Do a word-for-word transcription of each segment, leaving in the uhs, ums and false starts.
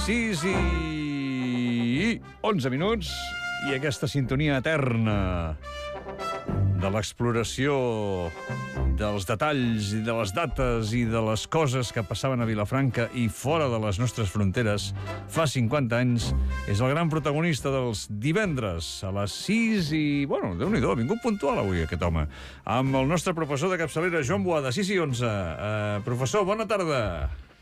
sis i onze minuts i aquesta sintonia eterna de l'exploració dels detalls i de les dates i de les coses que passaven a Vilafranca i fora de les nostres fronteres fa cinquanta anys, és el gran protagonista dels divendres a les sis i... Bueno, Déu-n'hi-do, ha vingut puntual avui aquest home. Amb el nostre professor de capçalera, Joan Boada, sis i onze. Uh, professor, bona tarda.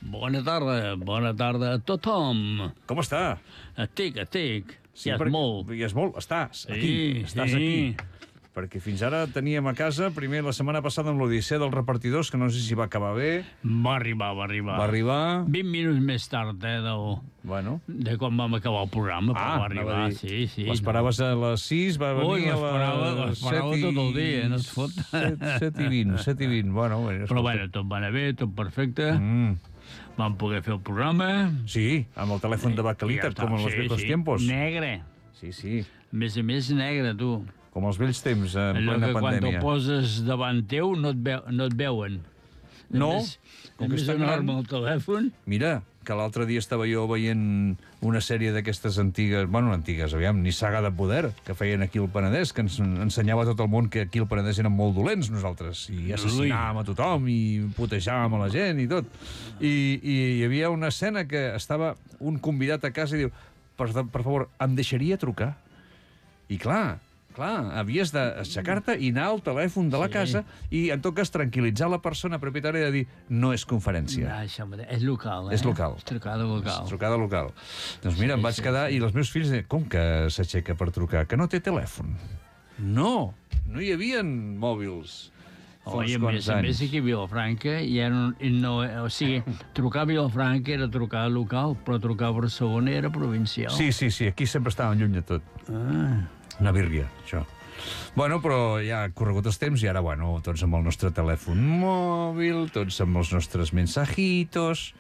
Bona tarda, bona tarda a tothom. Com està? Estic, estic. Sí, ja és perquè... molt. Ja és molt, estàs Sí, aquí, estàs sí. aquí. Perquè fins ara teníem a casa, primer la setmana passada amb l'Odissea dels repartidors, que no sé si va acabar bé. Va arribar, va arribar. Va arribar... vint minuts més tard, eh, del... Bueno. de quan vam acabar el programa, però Ah, va arribar, anava a dir, sí, sí. l'esperaves a les sis, va venir Ui, a l'esperava, les l'esperava set i... tot el dia, no es fot. set i vint, set i vint, bueno... bueno Però bueno, tot va anar bé, tot perfecte. Mm. Vam poder fer el programa. Sí, amb el telèfon de Bacalitat, Ja com en està, los sí, viejos sí. tiempos. Negre. Sí, sí, A més a més, negre, tu. com els vells temps, en Allò plena que quan pandèmia. te'l poses davant teu no et, veu, no et veuen. No, Només, com que només està donar-me gran. el telèfon. Mira, que l'altre dia estava jo veient una sèrie d'aquestes antigues, bueno, antigues, aviam, ni Saga de Poder, que feien aquí al Penedès, que ens ensenyava a tot el món que aquí al Penedès eren molt dolents nosaltres, i assassinàvem a tothom, i putejàvem a la gent i tot. I, i hi havia una escena que estava un convidat a casa i diu, per, per favor, em deixaria trucar? I clar, clar, havies d'aixecar-te i anar al telèfon de la Sí. casa i, en tot cas, tranquil·litzar la persona propietària de dir, no és conferència. Ah, això mateix. És local, eh? És local. És trucada local. És trucada local. Doncs mira, Sí, em vaig sí, quedar sí. i els meus fills deien, com que s'aixeca per trucar? Que no té telèfon. No, no hi havia mòbils. fa uns Oi, a quants més a més, anys. aquí a Vilafranca hi ha un, no, o sigui, trucar a Vilafranca era trucar local, però trucar a Barcelona era provincial. Sí, sí, sí, aquí sempre estàvem lluny de tot. Ah, Una bírria, això. Bueno, però ja ha corregut els temps i ara, bueno, tots amb el nostre telèfon mòbil, tots amb els nostres mensajitos...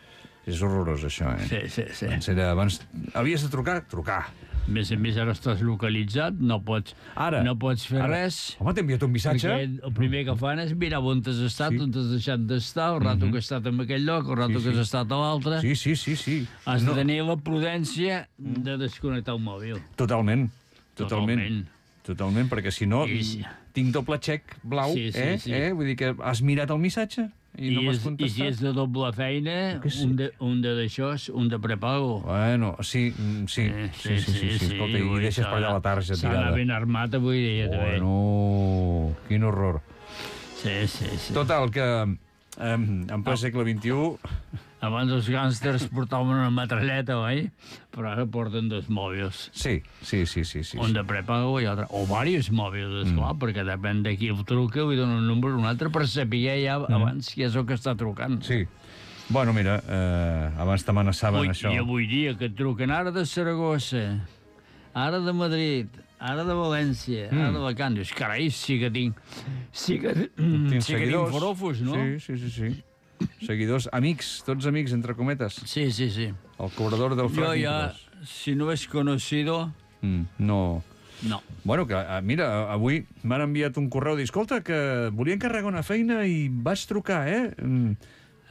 És horrorós, això, eh? sí, sí, sí. Abans, era, abans havies de trucar? Trucar. A més a més, ara estàs localitzat, no pots, Ara. no pots fer Ara. res. Home, t'he enviat un missatge. Perquè el primer que fan és mirar on has estat, Sí. on has deixat d'estar, el rato que has estat en aquell lloc, el rato Sí, que sí. has estat a l'altre. Sí, sí, sí, sí. Has No, de tenir la prudència de desconnectar el mòbil. Totalment, totalment. Totalment. Totalment, perquè si no, I sí. tinc doble xec blau, Sí, sí, eh? sí. eh? Vull dir que has mirat el missatge i, I, no m'has és, I si contestat. és de doble feina, Que sí. un de, un de d'això, un de prepago. Bueno, sí, mm, sí, Eh, sí, sí, sí, sí, escolta, i vull dir, deixes per allà la tarja s'ha d'anar tirada. ben armat avui dia, també. Bueno, quin horror. Sí, sí, sí. Total, que eh, en ple segle vint-i-u... Abans els gàngsters portaven una metralleta, oi? Però ara porten dos mòbils. Sí, sí, sí, sí, sí. Un de prepago i altre. O diversos mòbils, esclar, mm. perquè depèn de qui el truca, li dona un número un altre per saber ja mm. abans qui és el que està trucant. Sí. Bueno, mira, eh, abans t'amenaçaven Avui, això. I avui dia que et truquen ara de Saragossa, ara de Madrid, ara de València, mm. ara de Alacant. Dius, carai, sí que tinc... Sí que, Tens sí que tinc seguidors. forofos, no? Sí, sí, sí, sí. Seguidors, amics, tots amics, entre cometes. Sí, sí, sí. El cobrador del Yo Frank ya, si no es conocido, Mm, no... no. Bueno, que ah, mira, avui m'han enviat un correu dir, escolta, que volia encarregar una feina i vaig trucar, eh? Mm,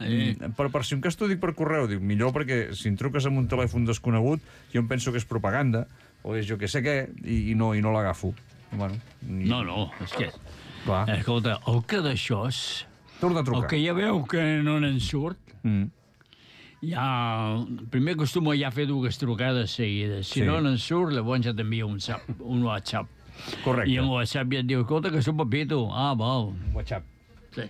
Eh. mm, però per si un cas t'ho dic per correu, dic, millor perquè si em truques amb un telèfon desconegut, jo em penso que és propaganda, o és jo que sé què, i, i no, i no l'agafo. Bueno, i, No, no, és que... clar, Escolta, el que d'això és... torna a El trucar. que ja veu que no n'en surt, Mm. ja... Primer acostuma ja a fer dues trucades seguides. Si Sí. no n'en surt, llavors ja t'envia un, zap, un WhatsApp. Correcte. I en WhatsApp ja et diu, escolta, que sóc Pepito. Ah, val. WhatsApp. Sí.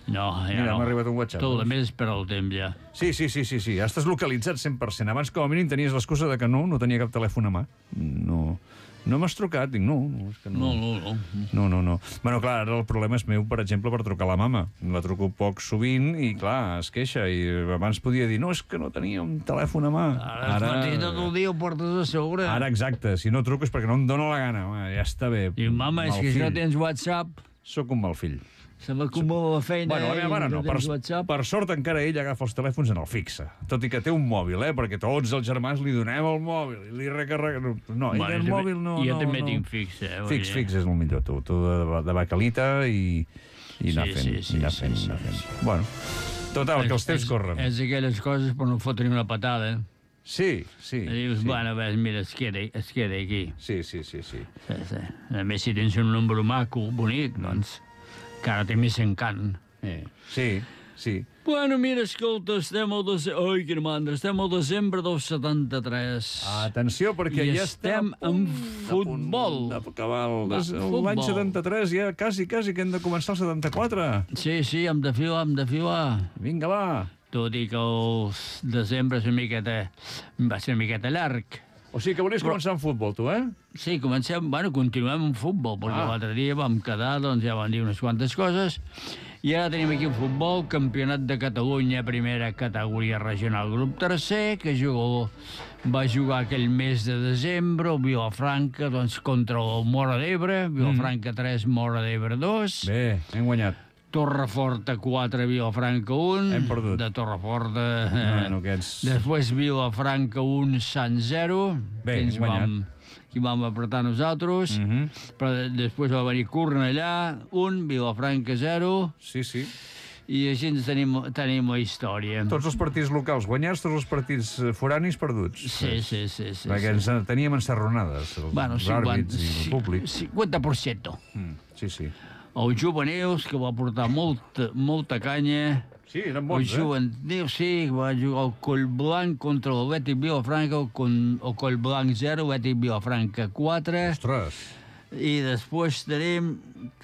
No, ja Mira, no. m'ha arribat un WhatsApp, Tot doncs. el més per al temps, ja. Sí, sí, sí, sí, sí. Ja estàs localitzat cent per cent. Abans, com a mínim, tenies l'excusa de que no, no tenia cap telèfon a mà. No, no m'has trucat. Dic, no, no, és que no. No, no, no. No, no, no. Bueno, clar, ara el problema és meu, per exemple, per trucar a la mama. La truco poc sovint i, clar, es queixa. I abans podia dir, no, és que no tenia un telèfon a mà. Ara, ara... mateix tot el dia ho portes a sobre. Ara, exacte. Si no truco és perquè no em dóna la gana. Home, ja està bé. Diu, mama, és Mal que si fill. no tens WhatsApp, Sóc un mal fill. se m'acumula la feina Bueno, la meva mare i no. no Per, tens WhatsApp. per sort encara ell agafa els telèfons en el fixe. Tot i que té un mòbil, eh? Perquè tots els germans li donem el mòbil i li recarreguem... No, ell Bueno, el també- mòbil no... jo no, també no. tinc fix, eh, vull Fix, dir. fix és el millor, tu. Tu de, de bacalita i, i anar Sí, fent. sí, sí, i anar sí, fent, sí, anar fent. sí. Bueno, total, que els temps És- corren. És aquelles coses per no fotre una patada. Sí, sí. I dius, sí. bueno, ves, mira, es queda, es queda aquí. Sí, sí, sí, sí. Sí, sí. A més, si tens un número maco, bonic, doncs, encara té més encant. Eh. Sí, sí. Bueno, mira, escolta, estem al desembre... Ai, quina mandra, estem al desembre del setanta-tres. Atenció, perquè I ja estem estem en futbol. D'acabar Va, futbol. l'any setanta-tres, ja quasi, quasi, que hem de començar el setanta-quatre. Sí, sí, hem de filar, hem de filar. Vinga, va. Tot i que el desembre és una miqueta, va ser una miqueta llarg. O sigui que volies començar amb futbol, tu, eh? Sí, comencem, bueno, continuem amb futbol, perquè Ah. l'altre dia vam quedar, doncs ja vam dir unes quantes coses, i ara tenim aquí el futbol, campionat de Catalunya, primera categoria regional, grup tercer, que jugó, va jugar aquell mes de desembre, el Vilafranca, doncs, contra el Móra d'Ebre, Vilafranca tres, Móra d'Ebre dos. Bé, hem guanyat. Torreforta quatre, Vilafranca un. Hem perdut. De Torreforta... Eh, Bueno, aquests... Després Vilafranca un, Sant zero. Bé, que ens hem guanyat. vam, que vam apretar nosaltres. Mhm. Però de- després va venir Cornellà un, Vilafranca zero. Sí, sí. I així ens tenim, tenim la història. Tots els partits locals guanyats, tots els partits eh, foranis perduts. Sí, sí, sí. sí, Perquè sí. ens eh, teníem encerronades, els Bueno, àrbits i el públic. cinquanta per cent. Mm, sí, sí. Els juvenils, que va portar molta, molta canya. Sí, eren El bons, eh? juvenil, sí, va jugar el Collblanc contra el Betis Vilafranca, el, con- el Collblanc zero, Betis Vilafranca quatre. Ostres. I després tenim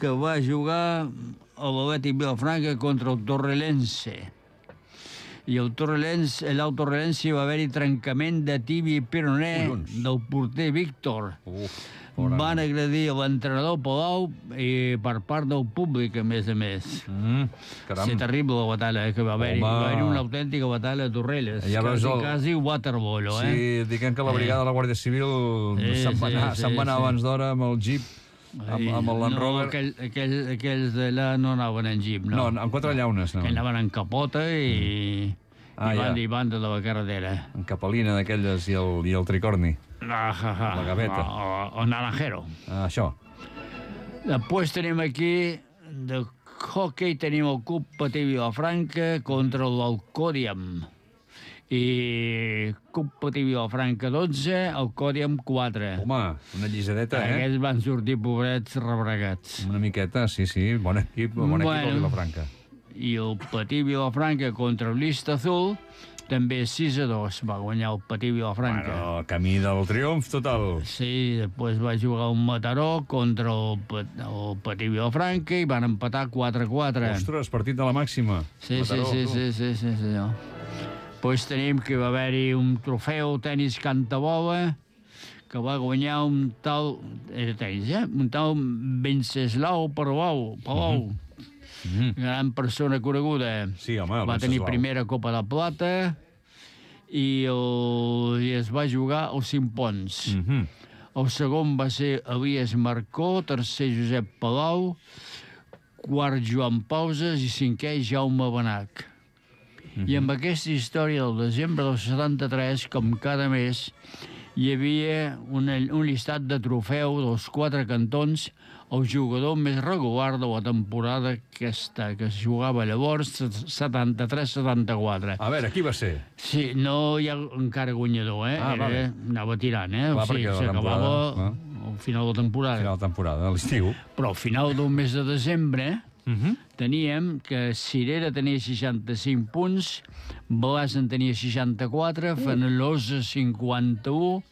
que va jugar el Betis Vilafranca contra el Torrelense. I el Torrelense, allà al Torrelense va haver-hi trencament de tibia i peroné Collons. del porter Víctor. Uf, Van agredir l'entrenador Palau i per part del públic, a més a més. Mm, caram. Sí, terrible la batalla eh, que va haver-hi. Home. Va haver-hi una autèntica batalla a Torrelles. Ja veus quasi, el- quasi waterpolo, eh? Sí, diguem que la brigada de la Guàrdia Civil Sí, se'n va sí, anar, sí, se'n va anar sí. abans d'hora amb el jeep, amb, amb el Land no, Rover. aquell, aquell, aquells d'allà no anaven en jeep, no. No, amb quatre llaunes, no. Que anaven en capota i, Ah, i, van, ja. i van de la carretera. En capelina d'aquelles i, el, i el tricorni. Ah, ja, ja. La gaveta. O, o, o naranjero. Ah, això. Després tenim aquí, de hockey, tenim el Club Patí Vilafranca contra l'Alcòdiam. I Club Patí Vilafranca dotze, Alcòdiam quatre. Home, una llisadeta, eh? Aquests van sortir pobrets rebregats. Una miqueta, sí, sí. Bon equip, bon equip Bueno. el Vilafranca. I el Patí Vilafranca contra el Lista Azul, també sis a dos va guanyar el Patí Vilafranca. Bueno, camí del triomf total. Sí, després va jugar un Mataró contra el, Pa- el Patí Vilafranca i van empatar quatre a quatre. Ostres, partit de la màxima. Sí, sí, Mataró, sí, tu. sí, sí, sí, sí. Després tenim que va haver-hi un trofeu tenis cantabola que va guanyar un tal... Era tenis, eh? Un tal Venceslau Palau. Palau. Mhm. Gran persona coneguda. Sí, home, el Va tenir Venceslau. primera Copa de Plata i, el, i es va jugar als cinc ponts. Mhm. El segon va ser Elias Marcó, tercer Josep Palau, quart Joan Pauses i cinquè Jaume Benac. I amb aquesta història del desembre del setanta-tres, com cada mes, hi havia una, un llistat de trofeu dels quatre cantons, el jugador més regular de la temporada aquesta, que es jugava llavors, setanta-tres setanta-quatre. A veure, qui va ser? Sí, no hi ha encara guanyador, eh? Ah, Era, vale. anava tirant, eh? Clar, o sigui, perquè la s'acabava temporada, al final de la temporada. Final de temporada, a l'estiu. Però al final del mes de desembre Mhm. teníem que Cirera tenia seixanta-cinc punts, Blas en tenia seixanta-quatre, Fenalosa cinquanta-u,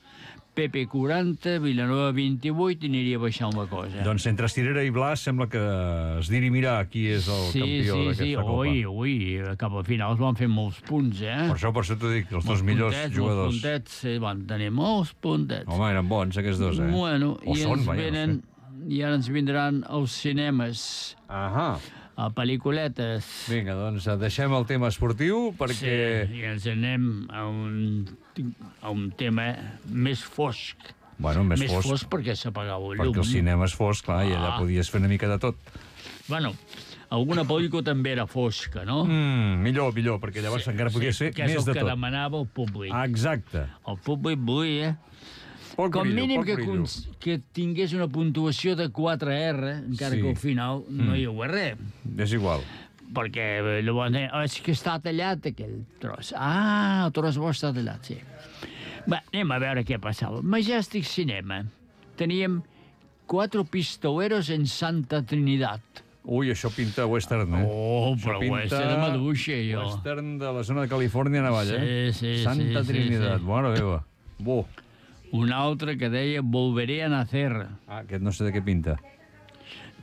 Pepe quaranta, Vilanova vint-i-vuit i aniria baixant la cosa. Doncs entre Cirera i Blas sembla que es dirimirà qui és el sí, campió sí, d'aquesta sí, Copa. ui, ui, cap al final es van fer molts punts, eh? Per això, per això t'ho dic, els dos Molts millors puntets, jugadors. Molts puntets, sí, van tenir molts puntets. Home, eren bons, aquests dos, eh? Bueno, o i són, ens vaja, venen, no sé. i ara ens vindran els cinemes, Ahà. a pel·lículetes. Vinga, doncs deixem el tema esportiu perquè... Sí, i ens anem a un, a un tema més fosc. Bueno, més, més fosc, fosc perquè s'apagava el llum. perquè el cinema és fosc, clar, i allà Ah. podies fer una mica de tot. Bueno, alguna pel·lícula també era fosca, no? Mm, millor, millor, perquè llavors encara podia ser que és més el de que tot. demanava el públic. Exacte. El públic volia Poc com brillo, mínim poc que, brillo. cons- que tingués una puntuació de quatre erre, encara Sí. que al final no Mm. hi hagués res. És igual. perquè llavors deien, oh, és que està tallat aquell tros. Ah, el tros bo està tallat, sí. Va, anem a veure què passava. Majestic Cinema. Teníem quatre pistoleros en Santa Trinidad. Ui, això pinta western, eh? Oh, però western de maduixa, jo. Western de la zona de Califòrnia, Navalla, eh? Sí, sí, Santa sí, Trinidad, sí, sí. bona meva. Bo. Un altre que deia Volveré a nacer. Ah, aquest no sé de què pinta.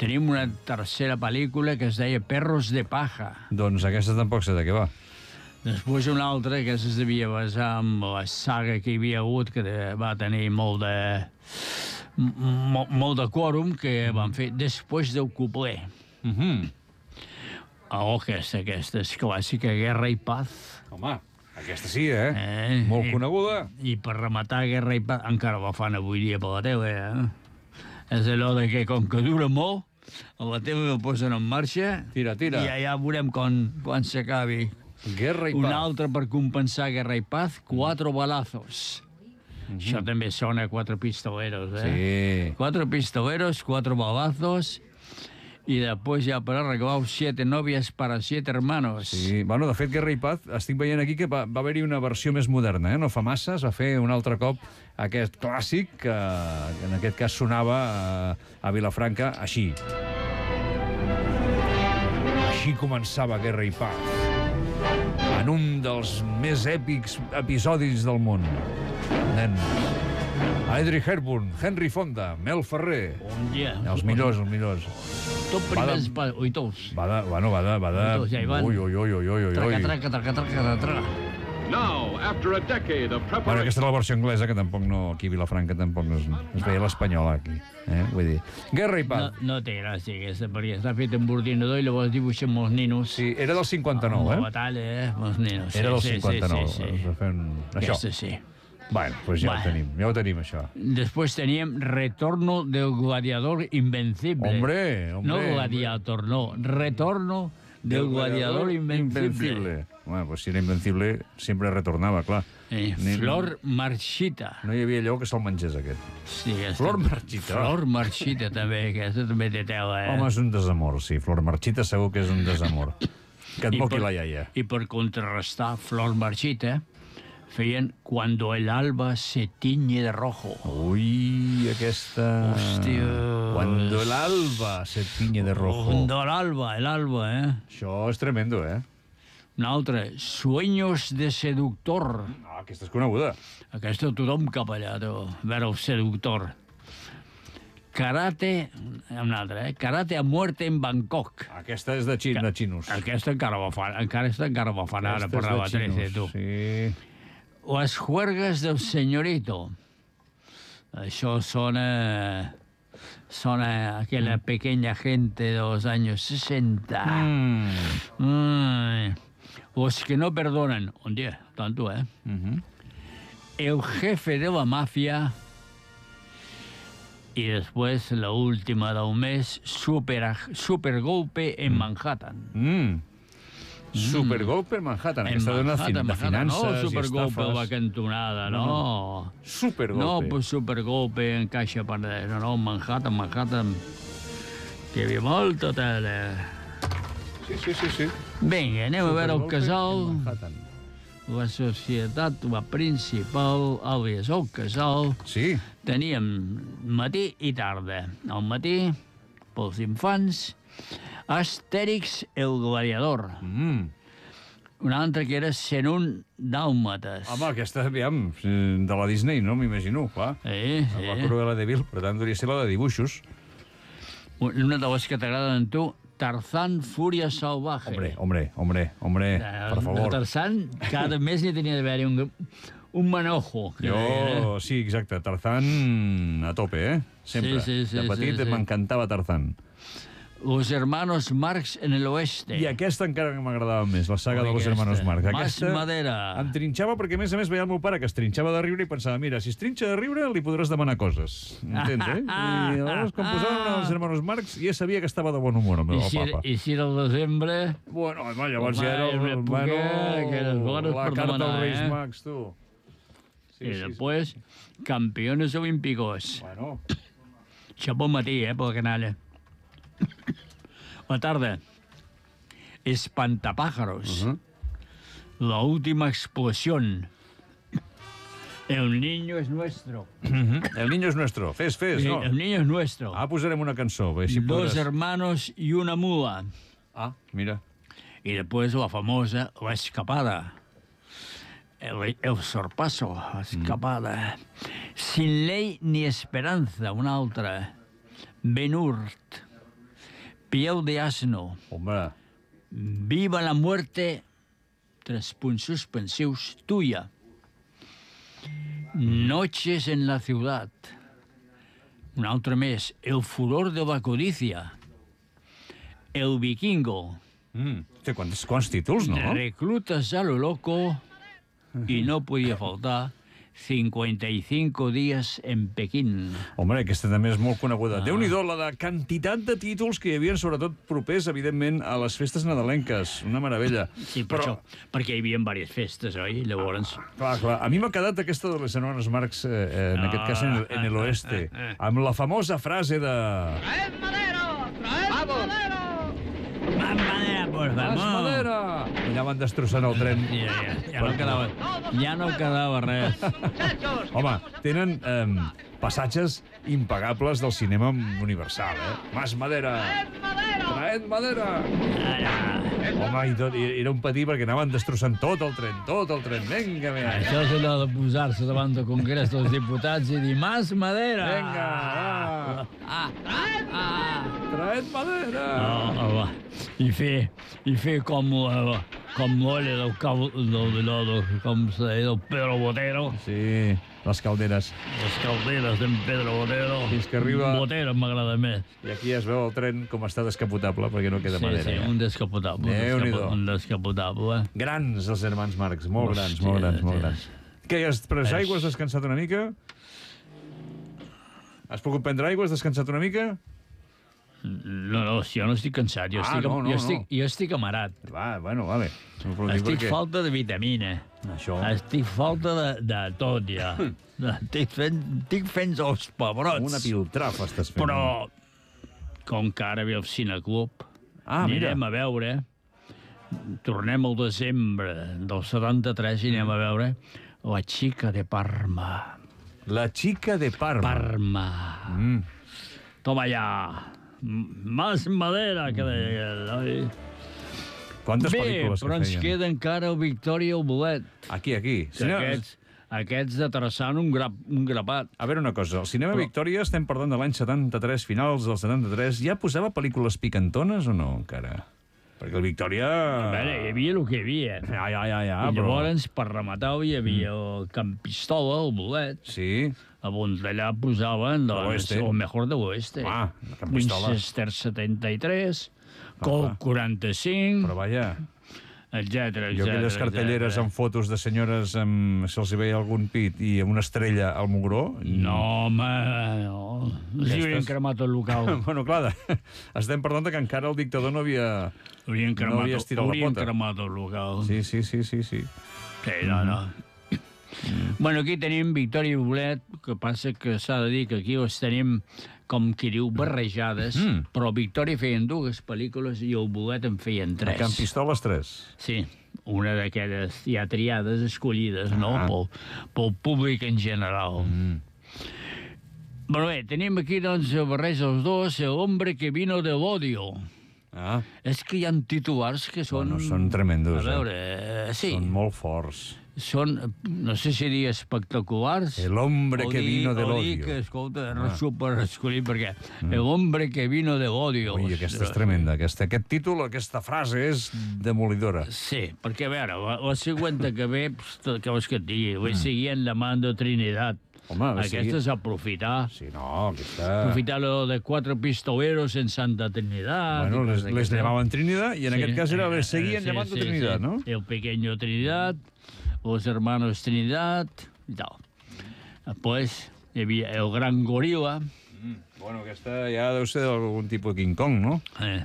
Tenim una tercera pel·lícula que es deia Perros de paja. Doncs aquesta tampoc sé de què va. Després una altra que es devia basar en la saga que hi havia hagut, que de, va tenir molt de... Molt, molt de quòrum, que van fer Després del cupler. Mm -hmm. Oh, aquesta, aquesta és clàssica, Guerra i Paz. Home, aquesta sí, eh? eh Molt i, coneguda. I per rematar Guerra i Paz, encara la fan avui dia per la tele, eh? És allò de que, com que dura molt, a la tele el posen en marxa Tira, tira. i ja, ja veurem quan, quan s'acabi. Guerra i Un Paz. altre per compensar Guerra i Paz, Cuatro balazos. Mm-hmm. Això també sona a Quatre pistoleros, eh? Sí. Cuatro pistoleros, cuatro balazos, i després ja per arreglar siete novias para siete hermanos. Sí, bueno, de fet, Guerra i Paz, estic veient aquí que va, va haver-hi una versió més moderna, eh? No fa massa, es va fer un altre cop aquest clàssic que, que en aquest cas sonava a, a Vilafranca així. Així començava Guerra i Paz, en un dels més èpics episodis del món. Nens. Audrey Hepburn, Henry Fonda, Mel Ferrer. Un dia. Els millors, els millors. Tot primers... Pa... Ui, tots. Va de... Bueno, va de... Va de... Ui, tots, ja hi van. Ui, ui, ui, ui, ui, ui. Traca, traca, traca, traca, traca. Now, after a decade of Bueno, preparation... aquesta és la versió anglesa, que tampoc no... Aquí a Vilafranca tampoc no es, es veia l'espanyola, aquí. Eh? Vull dir... Guerra i No, Paz. no té gràcia aquesta, perquè està fet amb ordinador i llavors dibuixen molts ninos. Sí, era del cinquanta-nou, Amb eh? la batalla, eh? Molts ninos. Era del sí, cinquanta-nou. Sí, sí, sí. Es va fer un... Això. Aquesta sí. Bueno, doncs ja Bueno. ho tenim, ja ho tenim, això. Després teníem Retorno del gladiador invencible. Hombre, hombre. No gladiator, no. Retorno del gladiador invencible. Bueno, pues si era invencible, sempre retornava, clar. Eh, Ni- Flor marchita. No hi havia allò que se'l mengés, aquest. Sí, aquesta... Flor marchita. Flor marchita, també. Aquesta també té tela, eh? Home, és un desamor, sí. Flor marchita segur que és un desamor. Que et I moqui per- la iaia. I per contrarrestar Flor marchita, feien Cuando el alba se tiñe de rojo. Ui, aquesta... Hòstia. Cuando el alba se tiñe de rojo. Cuando el alba, el alba, eh? Això és tremendo, eh? Un altre, Sueños de seductor. Ah, aquesta és coneguda. Aquesta tothom cap allà, tu. A veure, el seductor. Karate, un altre, eh? Karate a muerte en Bangkok. Aquesta és de, xin, de xinos. Aquesta encara la fan, encara, aquesta encara la fan ara Aquesta per és la de trece, tu. xinos, Sí. Las juergas del señorito. Això sona... Sona a aquella pequeña gente de los años sesenta. Mm. Ay. Los que no perdonan. Un día, tanto, ¿eh? Mhm. El jefe de la mafia. Y después, la última del mes, super, super golpe en Manhattan. Mm. Supergolpe en Manhattan. En Aquesta dona Manhattan, de Manhattan. finances No, i supergolpe a la estafes. cantonada, no. Supergolpe. No, pues supergolpe en caixa per... No, no, Manhattan, Manhattan. Que hi havia molta tela. Sí, sí, sí, sí. Vinga, anem a veure el Supergolpe casal. en Manhattan. La societat, la principal, àlies el casal. Sí. Teníem matí i tarda. Al matí, pels infants, Astèrix el gladiador. Mm. Un altre que era cent un dàlmates. Home, aquesta, aviam, de la Disney, no? M'imagino, clar. Sí, La sí. Cruella de Vil, per tant, hauria de ser la de dibuixos. Una de les que t'agraden a tu, Tarzán Fúria Salvaje. Hombre, hombre, hombre, hombre, Eh, per De favor. Tarzán, cada mes n'hi tenia d'haver-hi un, un manojo. Que deien, Jo, sí, exacte, Tarzán a tope, eh? Sempre. Sí, sí, sí, de petit sí, sí. m'encantava Tarzán. eh? Los hermanos Marx en el oeste. I aquesta encara que m'agradava més, la saga Ui, de los aquesta. hermanos Marx. Más Aquesta madera. em trinxava perquè, a més a més, veia el meu pare que es trinxava de riure i pensava, mira, si es trinxa de riure, li podràs demanar coses. Entens, eh? I llavors, quan posaven els hermanos Marx, ja sabia que estava de bon humor, el I meu si, papa. I si era el desembre... Bueno, home, llavors Home, ja era... una el- època Bueno, que eres bones la per carta demanar, als Reis eh? Mags, tu. Sí, I sí, sí. després, campeones olímpicos. Bueno, Això bon matí, eh, per la canalla. La tarda. Espantapájaros, Uh-huh. La última explosión, El niño es nuestro. El niño es nuestro. Fes, fes, no? El niño es nuestro. Ah, posarem una cançó. A ver si Dos podràs... hermanos y una mula. Ah, mira. Y después la famosa La Escapada. El, el sorpaso, La Escapada. Sin ley ni esperanza, una altra. Ben-Hur. Piel de asno. Home, Viva la muerte, tres punts suspensius, tuya. Noches en la ciudad. Un altre més. El furor de la codicia. El vikingo. mm, té quants, quants títols, no? Reclutas a lo loco. Y no podia faltar cincuenta y cinco días en Pequín. Home, aquesta també és molt coneguda. Ah. Déu-n'hi-do, la de quantitat de títols que hi havia, sobretot propers, evidentment, a les festes nadalenques. Una meravella. Sí, per Però, això, perquè hi havia diverses festes, oi? Llavors... clar, clar, a mi m'ha quedat aquesta de les hermanes Marx, eh, eh, en Ah, aquest cas en el, en el oeste, ah, ah, ah. amb la famosa frase de... ¡Traed madera! ¡Traed madera! Más madera, por Más favor. madera! Allà van destrossant el tren. Ja, ja, ja no quedava, ja no quedava res. ¡Muchachos! Home, tenen eh, passatges impagables del cinema universal, eh? Más madera! ¡Traed madera! Traed madera! Ara, Home, i tot, i era un patí perquè anaven destrossant tot el tren, tot el tren. Vinga, vinga. això és allò de posar-se davant del Congrés dels Diputats i dir «Más madera!» Vinga, va. Ah, ah, ah. Traed madera! Ah, ah, va. I fer, i fer com, uh, com l'olla del, cal- del, del, del, com se deia, del Pedro Botero, Sí, les calderes. les calderes d'en Pedro Botero. Fins que arriba- Botero m'agrada més. I aquí es veu el tren com està descapotable perquè no queda Sí, madera. sí, ja. un descapotable. Un, Déu-n'hi-do. descapo, un descapotable. Grans, els germans Marx, molt Hòstia, grans, molt grans, molt sí. grans. Què, has pres És- aigua, has descansat una mica? Has pogut prendre aigua, has descansat una mica? No, no, si jo no estic cansat, jo, Ah, estic, no, no, jo, no. estic, jo estic amarat. Va, bueno, vale. No ho dir Estic perquè- falta de vitamina. Això. Estic falta de, de tot, ja. estic, fent, estic fent els pebrots. Una piltrafa estàs fent. Però, com que ara ve el Cineclub, Ah, mira. anirem a veure, tornem al desembre del setanta-tres i anem a veure La xica de Parma. La xica de Parma. Parma. Mm. Toma ja. M- Más madera, que deia aquell, oi? Quantes Bé, pel·lícules però que ens feien? queda encara el Victòria i el Bolet. Aquí, aquí. Que Cinema... Aquests, aquests de traçant un, grap, un grapat. A veure una cosa, el Cinema Però- Victòria, estem parlant de l'any setanta-tres, finals del setanta-tres, ja posava pel·lícules picantones o no, encara? Perquè el Victòria... A veure, hi havia el que hi havia. Ja, ja, ja, ja, I però... llavors, per rematar, hi havia el Camp Pistola, el Bolet, Sí, on d'allà posaven doncs, l'oeste. el mejor de l'oeste. Ah, el Camp Pistola. Winchester setenta i tres, clar. Colt quaranta-cinc, però vaja, etcètera, jo aquelles etcètera, cartelleres etcètera. amb fotos de senyores amb, si els hi veia algun pit i amb una estrella al mugró... No, home, no. Els hi havien Aquestes- cremat el local. Bueno, clar, de... estem parlant de que encara el dictador no havia... Haurien No cremat, havia estirat la haurien pota. cremat el local. Sí, sí, sí, sí, sí. Sí, no, no. Bueno, aquí tenim Victòria i Bolet, que passa que s'ha de dir que aquí les tenim, com qui diu, barrejades, Mm. però Victòria feien dues pel·lícules i el Bolet en feien A tres. Camp Pistoles tres. Sí, una d'aquelles ja triades, escollides, no?, Ah. pel, pel públic en general. Mm. Bueno, bé, tenim aquí, doncs, el barreig dels dos, El hombre que vino del odio. Ah, És que hi ha titulars que són... Bueno, són tremendos, A eh? veure, eh, sí, són molt forts. són, no sé si dir espectaculars... El hombre o que dir- vino del o dir odio. que, escolta, no super escollit, perquè el hombre que vino del odio... Ui, aquesta és tremenda. Aquesta, aquest títol, aquesta frase és demolidora. Sí, perquè, a veure, la, la següent que ve, pst, què vols que et digui? Voy siguiendo llamando Trinidad. Home, va Aquesta seguir- és aprofitar. Sí, no, aquesta... Aprofitar lo de cuatro pistoleros en Santa Trinidad. Bueno, i les, coses les d'aquestes. llamaven Trinidad i en Sí, aquest cas era eh, les seguien sí, llamando sí, Trinidad, sí. no? El pequeño Trinidad, los hermanos Trinidad y tal. Después hi havia el gran gorila, Bueno, aquesta ja deu ser d'algun tipus de King Kong, no? eh,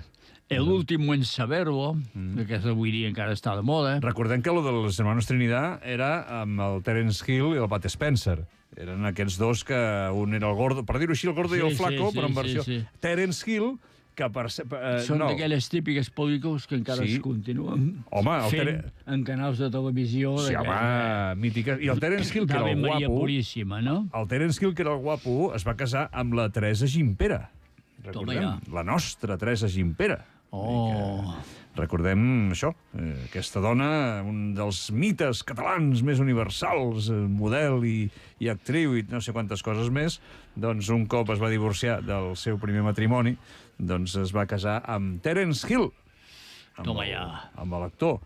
el último en saberlo, que aquesta avui dia encara està de moda. Recordem que lo dels hermanos Trinidad era amb el Terence Hill i el Pat Spencer. Eren aquests dos que un era el gordo, per dir-ho així, el gordo Sí, i el sí, flaco, sí, però en sí, versió... sí. Terence Hill que per... Uh, Són no. d'aquelles típiques pel·lícules que encara Sí. es continuen Home, el fent Tere- en canals de televisió. Sí, home, mítica. I el Terence Hill, que era D'Ave el Maria guapo... Puríssima, no? El Terence Hill, que era el guapo, es va casar amb la Teresa Gimpera. Recordem? ja. La nostra Teresa Gimpera. Oh, Recordem això, eh, aquesta dona, un dels mites catalans més universals, eh, model i, i actriu i no sé quantes coses més, doncs un cop es va divorciar del seu primer matrimoni, doncs es va casar amb Terence Hill, amb Toma el- ja. amb l'actor,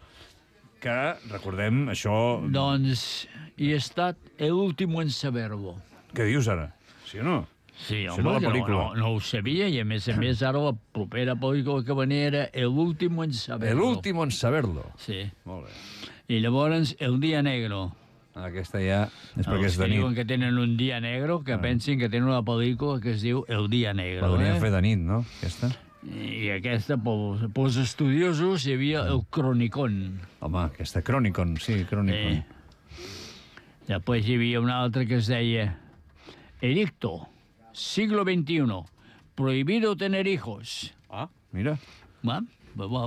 que, recordem, això... doncs hi ha estat el último en saberlo. Què dius ara? Sí o no? Sí, Això home, era la que no, pel·lícula. no, no ho sabia, i a més a més ara la propera pel·lícula que venia era El último en saberlo. El último en saberlo. Sí. Molt bé. I llavors El día negro. Aquesta ja és perquè Els és de que diuen nit. que tenen un dia negro, que pensin que tenen una pel·lícula que es diu El dia negro. Podríem Eh? fer de nit, no? Aquesta? I aquesta, pels, pels estudiosos, hi havia el Cronicón. Home, aquesta Chronicon, sí, Chronicon. Eh. Després hi havia una altra que es deia Edicto, siglo veintiuno, prohibido tener hijos. Ah, mira. Va, va, va.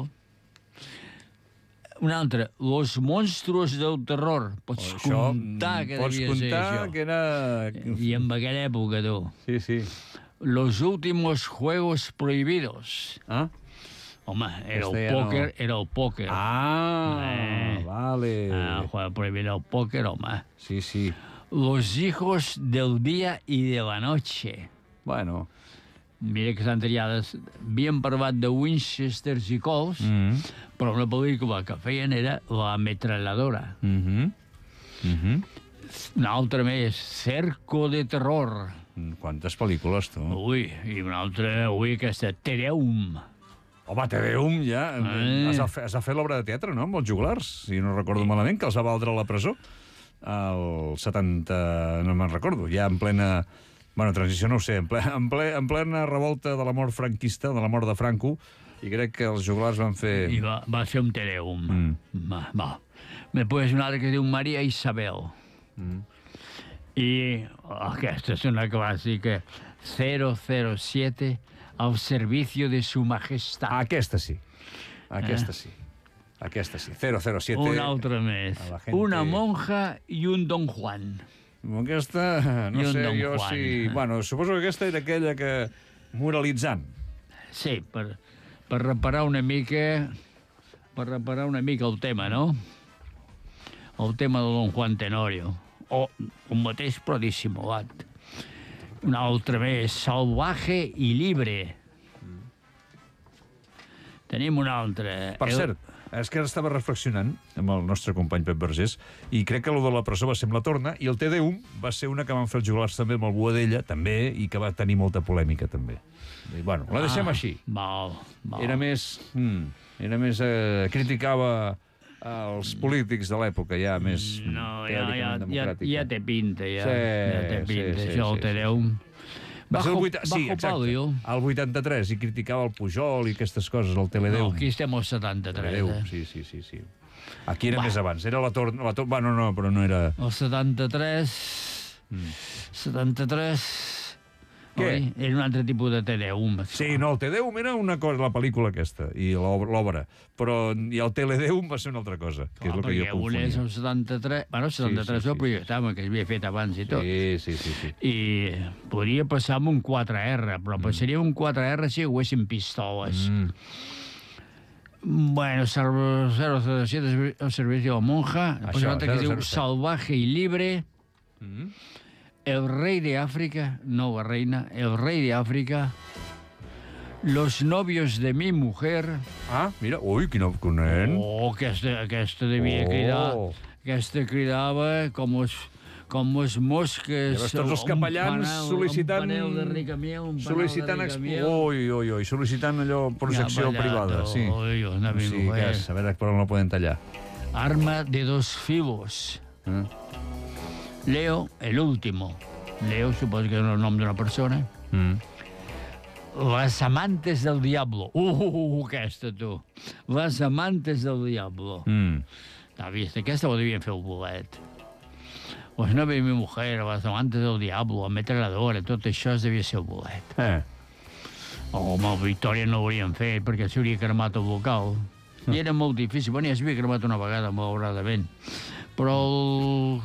Una altra, Los monstruos del terror. Pots Això, comptar que pots devia ser comptar això. que era... I en aquella època, tu. Sí, sí. Los últimos juegos prohibidos. Ah? Home, era Este el ja no. pòquer, era el pòquer. Ah, Eh. vale. Ah, el juego prohibido el pòquer, home. Sí, sí. Los hijos del día y de la noche. Bueno. Mira que s'han triades. Havien parlat de Winchesters i Colts, Mm -hmm. però una pel·lícula que feien era La ametralladora. Mm -hmm. Mm -hmm. Una altra més, Cerco de terror. Quantes pel·lícules, tu? Ui, i una altra, ui, aquesta, Tereum. Home, Te Deum, ja. Eh. Has de fer, has de fer l'obra de teatre, no?, amb els juglars, si no recordo malament, que els va valdre a la presó. El setanta... no me'n recordo, ja en plena... Bueno, transició no ho sé, en, ple, en, ple, en plena revolta de la mort franquista, de la mort de Franco, i crec que els juglars van fer... I va, va fer un Tereum. Mm. Va, va. Després una altra que es diu Maria Isabel. Mm. I aquesta és una clàssica, cero cero siete, al servicio de su majestad. Aquesta sí. Aquesta Eh. sí. Aquesta sí. cero cero siete. Una altra més. a la gente- Una monja i un don Juan. Aquesta, no I un sé, Don jo Juan. sí... Bueno, suposo que aquesta era aquella que... moralitzant. Sí, per, per reparar una mica... Per reparar una mica el tema, no? El tema de don Juan Tenorio. O el mateix, però dissimulat. Una altra més, salvaje i libre. Tenim una altra. Per El- cert, és que ara estava reflexionant amb el nostre company Pep Vergés i crec que el de la presó va ser amb la torna i el Te Deum va ser una que van fer els juglars també amb el Boadella, també, i que va tenir molta polèmica, també. I, bueno, la deixem Ah, així. Val, val. Era més... Mm, era més... Eh, criticava els polítics de l'època, ja més No, ja, ja, teòricament ja, democràtica. ja té pinta, ja. Sí, ja té sí, pinta, sí, això sí, el Te sí. Deum. Va ser el Bajo- vuita... Sí, bajo exacte. palio. El vuitanta-tres, i criticava el Pujol i aquestes coses, el No, Teledeum. aquí estem al setanta-tres, Teledeum, eh? sí, sí, sí, sí. Aquí era Va. més abans, era la torna... La tor... Bueno, no, però no era... El setanta-tres... Mm. setanta-tres... Què? Oi? Era un altre tipus de Te Deum. Sí, no, el Tedeum era una cosa, la pel·lícula aquesta, i l'obra, l'obra. però i el Teledeum va ser una altra cosa, que és el que jo perquè un és confonia. el setanta-tres... Bueno, el setanta-tres sí, sí, el projectava, que s'havia fet abans i tot. Sí, sí, sí, sí. I podria passar amb un quatre erre, però passaria un quatre erre si hi haguessin pistoles. Mm. Bueno, zero cero siete, el servicio de la monja. Després Això, una altra que es zero diu zero set. Salvaje y libre. Mm. El rey de África, no la reina, el rey de África. Los novios de mi mujer. Ah, mira, ui, quin nen. Oh, aquesta, aquesta devia Oh. cridar. Aquesta cridava com els, com les mosques. Llavors tots els un capellans panel- sol·licitant... Un panel de ricamiel, un panel sol·licitant de expo... ricamiel. Ui, ui, ui, sol·licitant allò, projecció Ja, privada, sí. Ui, ui, una O sigui, mujer. que és, a veure per on la poden tallar. Arma de dos filos. Eh? Leo, el último. Leo, suposo que és el nom d'una persona. Mm. Las amantes del diablo. Uh, aquesta, tu. Les amantes del diablo. Mm. T'ha vist? Aquesta ho devien fer el bolet. Pues no ve mi mujer, les amantes del diablo, la metralladora, tot això es devia ser el bolet. Eh. Home, el Victòria no ho haurien fet, perquè s'hauria cremat el local. I era molt difícil. Bueno, ja s'havia cremat una vegada, malauradament. Però el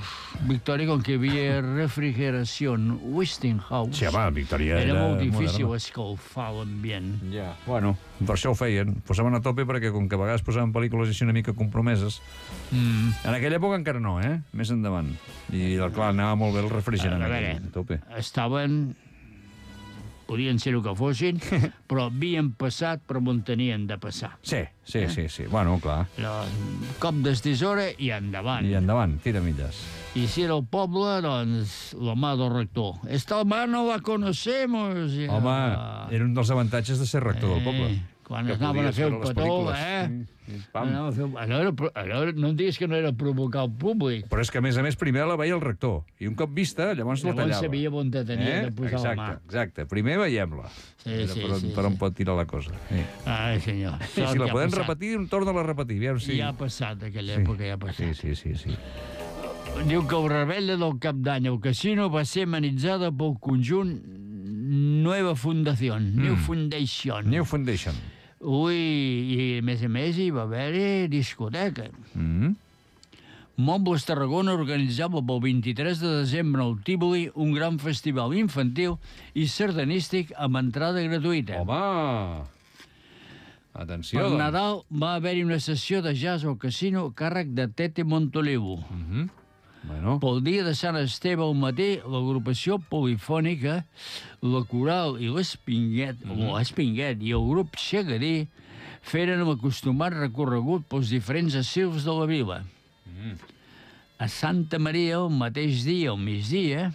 Victòria, com que hi havia refrigeració en Westinghouse, Sí, home, Victòria era, era molt difícil moderna. escalfar l'ambient. Ja. Bueno, per això ho feien. Posaven a tope perquè, com que a vegades posaven pel·lícules així una mica compromeses, Mm. en aquella època encara no, eh? Més endavant. I, clar, anava molt bé el refrigerant. A veure, aquell, a tope. estaven... Podien ser el que fossin, però havien passat per on tenien de passar. Sí, sí, sí, sí. Bueno, clar. La, cop d'estisora i endavant. I endavant, tira milles. I si era el poble, doncs, la mà del rector. Esta mà no la conocemos. Ja. Home, era un dels avantatges de ser rector del poble. Quan Que anaven a podies fer el veure les petó, pel·lícules. eh? Sí, sí, pam. Anaven a fer... Allò era, allò era, no em diguis que no era provocar el públic. Però és que, a més a més, primer la veia el rector. I un cop vista, llavors la Llavors tallava. sabia on te tenia de posar exacte, la mà. Exacte, primer veiem-la. Sí, Era sí, per on, sí, per on sí. pot tirar la cosa. Sí. Ai, senyor. I si la podem repetir, torna-la a repetir. Aviam si... Ja ha passat, aquella època ja ha passat. Sí, sí, sí, sí. Diu que el rebella del cap d'any al casino va ser amenitzada pel conjunt Nueva Fundación, New Foundation. New Foundation. Ui, i a més a més hi va haver discoteca. Mm. Mobles Tarragona organitzava pel vint-i-tres de desembre al Tívoli un gran festival infantil i sardanístic amb entrada gratuïta. Home! Atenció, Per doncs. Nadal va haver-hi una sessió de jazz al casino a càrrec de Tete Montolivo. Mhm. Bueno, Pel dia de Sant Esteve al matí, l'agrupació polifònica, la Coral i l'Espinguet, mm -hmm. l'Espinguet i el grup Xegadí feren l'acostumat recorregut pels diferents asils de la vila. Mm. A Santa Maria, el mateix dia, al migdia,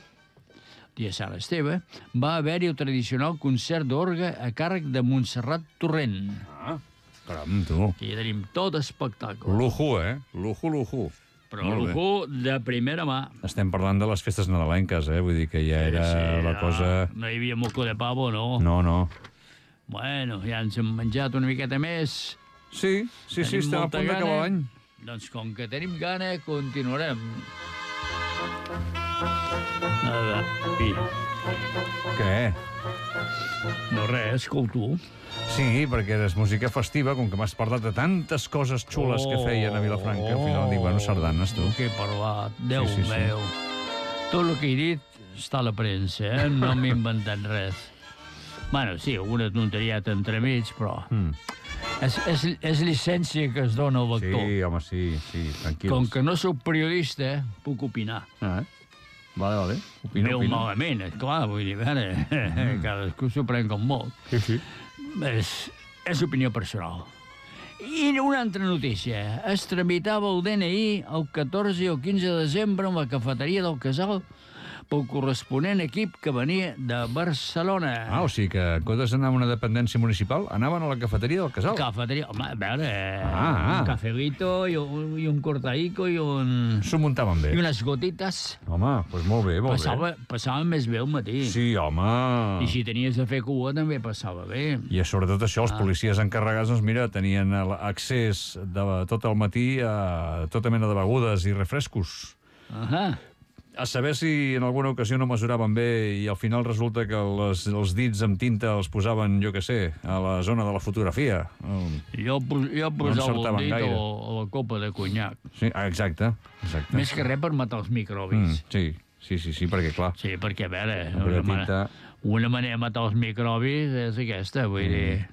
dia de Sant Esteve, va haver-hi el tradicional concert d'orgue a càrrec de Montserrat Torrent. ah, caram, tu. Aquí tenim tot espectacle. Lujo, eh? Lujo, lujo. Però Molt bé. lujo de primera mà. Estem parlant de les festes nadalenques, eh? Vull dir que ja era Sí, la no, cosa... No hi havia moco de pavo, no. No, no. Bueno, ja ens hem menjat una miqueta més. Sí, sí, sí, Tenim estem a molta punt d'acabar gana. l'any. Doncs com que tenim gana, continuarem. A veure, Què? no res, escolto. Sí, perquè és música festiva, com que m'has parlat de tantes coses xules que feien a Vilafranca, al final dic, bueno, sardanes, tu. El que he parlat, Déu Sí, sí, sí. meu. Tot el que he dit està a la premsa, eh? No m'he inventat res. Bueno, sí, alguna tonteria entremig, però... Mm. És, és, és llicència que es dona al lector. Sí, home, sí, sí, tranquils. Com que no sóc periodista, puc opinar. Ah, vale, vale. Opina, Veu opina. malament, esclar, vull dir, a veure, mm. cadascú s'ho pren com molt. Sí, sí. És, és opinió personal. I una altra notícia. Es tramitava el D N I el catorze i el quinze de desembre en la cafeteria del Casal pel corresponent equip que venia de Barcelona. Ah, o sigui que en comptes d'anar a una dependència municipal, anaven a la cafeteria del casal. Cafeteria, home, a veure, Ah, ah. un cafelito i un, i un cortaico i un... S'ho muntaven bé. I unes gotites. Home, doncs molt bé, molt Passava, passava més bé al matí. bé. Sí, home. I si tenies de fer cua també passava bé. I sobretot això, els policies encarregats, doncs mira, tenien el- accés de tot el matí a tota mena de begudes i refrescos. Ahà. A saber si en alguna ocasió no mesuraven bé i al final resulta que les, els dits amb tinta els posaven, jo què sé, a la zona de la fotografia. Um, Jo, pos- jo posava el encertaven dit a, gaire. a la copa de conyac. Sí, ah, exacte, exacte. Més que res per matar els Mm, microbis. sí, sí, sí, sí, perquè clar, Sí, perquè, a veure, Amb una, la manera, tinta- una manera de matar els microbis és aquesta, vull Mm. dir...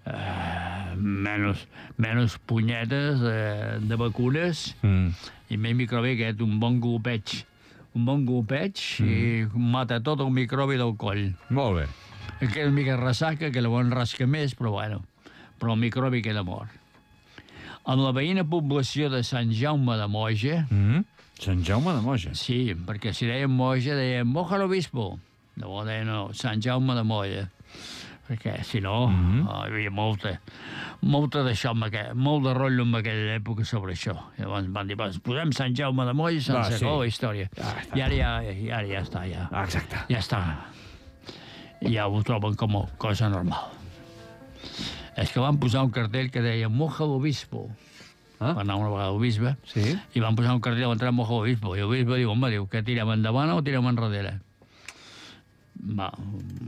Uh, menys, menys punyetes de, de vacunes mm, i més microbi aquest, un bon golpeig. Un bon golpeig Mm. i mata tot el microbi del coll. molt bé. Em queda una mica ressaca, que llavors rasca més, però bueno, però el microbi queda mort. En la veïna població de Sant Jaume de Moja, Mm, Sant Jaume de Moja. sí, perquè si deien Moja, deien Moja l'Obispo. Llavors deien no, Sant Jaume de Moja. Perquè, si no, Mhm. oh, hi havia molta, molta d'això, amb aquell, molt de rotllo en aquella època sobre això. Llavors van dir, doncs posem Sant Jaume de Moja i Va, sense sí. sí. la història. Ah, està. I ara ja, i ara ja està, ja. Ah, exacte. Ja està. Ja ho troben com a cosa normal. És que van posar un cartell que deia Moja l'Obispo. Ah. Va anar una vegada al bisbe Sí? i van posar un cartell a l'entrada Moja l'Obispo. I el bisbe diu, home, diu, que tirem endavant o tirem enrere? va,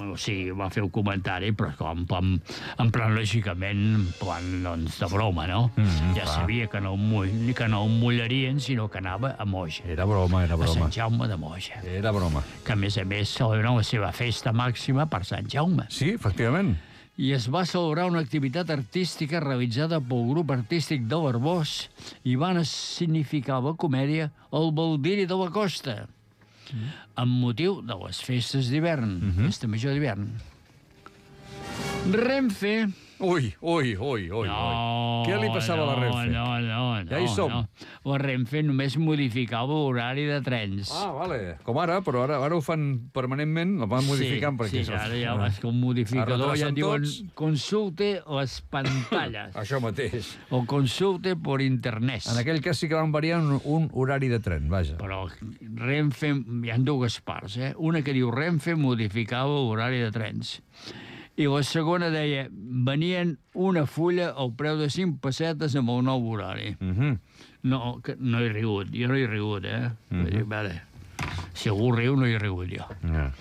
o sigui, va fer un comentari, però com, en plan, en plan lògicament, en plan, doncs, de broma, no? Mm, ja clar. sabia que no, mull, que no el mullarien, sinó que anava a Moja. Era broma, era A broma. Sant Jaume de Moja. Era broma. Que, a més a més, celebra la seva festa màxima per Sant Jaume. Sí, efectivament. I es va celebrar una activitat artística realitzada pel grup artístic de l'Arbós i van significar la comèdia El Baldiri de la Costa, amb motiu de les festes d'hivern, festa major d'hivern. Renfe... Ui, ui, ui, ui. No, Què li passava a la Renfe? No, no, no. Ja hi som. No. La Renfe només modificava l'horari de trens. Ah, vale. Com ara, però ara, ara ho fan permanentment, el van modificant sí, perquè... Sí, ara ja vas com modificador, ja Retracen diuen tots. consulte les pantalles Això mateix. o consulte por internet. En aquell cas sí que van variar un, un horari de tren, vaja. Però Renfe, hi ha dues parts, eh? Una que diu Renfe modificava l'horari de trens. I la segona deia, venien una fulla al preu de cinc pessetes amb el nou horari. Mm -hmm. No, que no he rigut, jo no he rigut, eh? Mm -hmm. dir, vale. Si algú riu, no he rigut jo. yeah.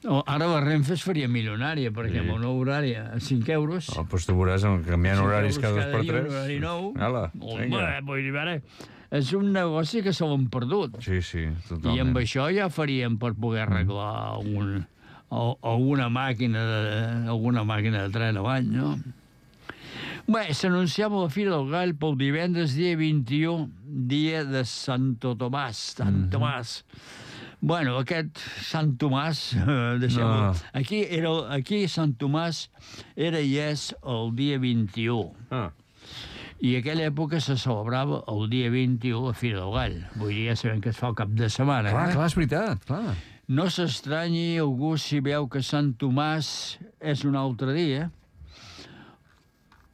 O, ara la Renfe es faria milionària, perquè Sí. amb el nou horari a cinc euros... Oh, doncs tu veuràs, canviant cinc horaris euros cada dos per dia, tres. un horari nou. Ala, Home, vinga. vull dir, vale, és un negoci que se l'han perdut. Sí, sí, totalment. I amb això ja faríem per poder arreglar un, o, o una màquina de, alguna màquina de tren a l'any, no? Bé, s'anunciava la Fira del Gall pel divendres dia vint-i-u, dia de Santo Tomàs. Sant Tomàs. Bueno, aquest Sant Tomàs, eh, deixem-ho... No. Aquí, era, aquí Sant Tomàs era i és el dia vint-i-u. Ah. I a aquella època se celebrava el dia vint-i-u la Fira del Gall. Vull dir, ja sabem que es fa el cap de setmana. Clar, eh? clar, és veritat, clar. No s'estranyi algú si veu que Sant Tomàs és un altre dia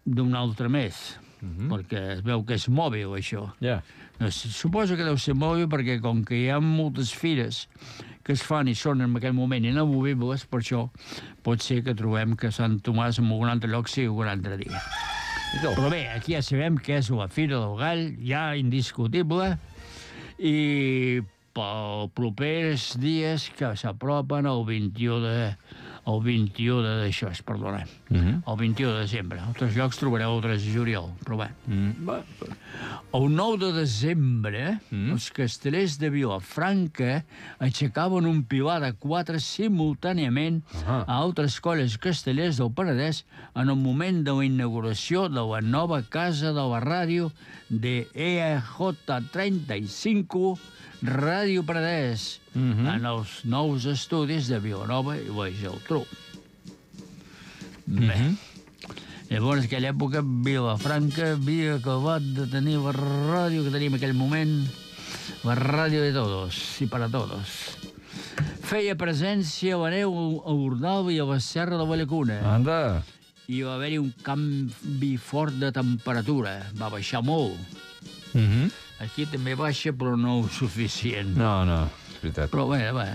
d'un altre mes, Mhm. perquè es veu que és mòbil, això. Ja. No, suposo que deu ser mòbil perquè, com que hi ha moltes fires que es fan i són en aquell moment inamovibles, per això pot ser que trobem que Sant Tomàs en algun altre lloc sigui un altre dia. Però bé, aquí ja sabem que és la Fira del Gall, ja indiscutible, i pels propers dies que s'apropen el vint-i-u de... el vint-i-u de d'això, perdona, Mhm. el vint-i-u de desembre. A altres llocs trobareu el tres de juliol, però bé. Mm. Va. El nou de desembre, Mm. els castellers de Vilafranca aixecaven un pilar de quatre simultàniament Ahà. a altres colles castellers del Penedès en el moment de la inauguració de la nova casa de la ràdio de E J trenta i cinc Ràdio Penedès, Mhm. en els nous estudis de Vilanova i la Geltrú. Bé. Llavors, en aquella època, Vilafranca havia acabat de tenir la ràdio que tenim en aquell moment, la ràdio de todos i para todos. Feia presència a la neu a Ordal i a la Serra de la Llacuna. Anda. I va haver-hi un canvi fort de temperatura. Va baixar molt. Mhm. Aquí també baixa, però no suficient. No, no, és veritat. Però bé, bé,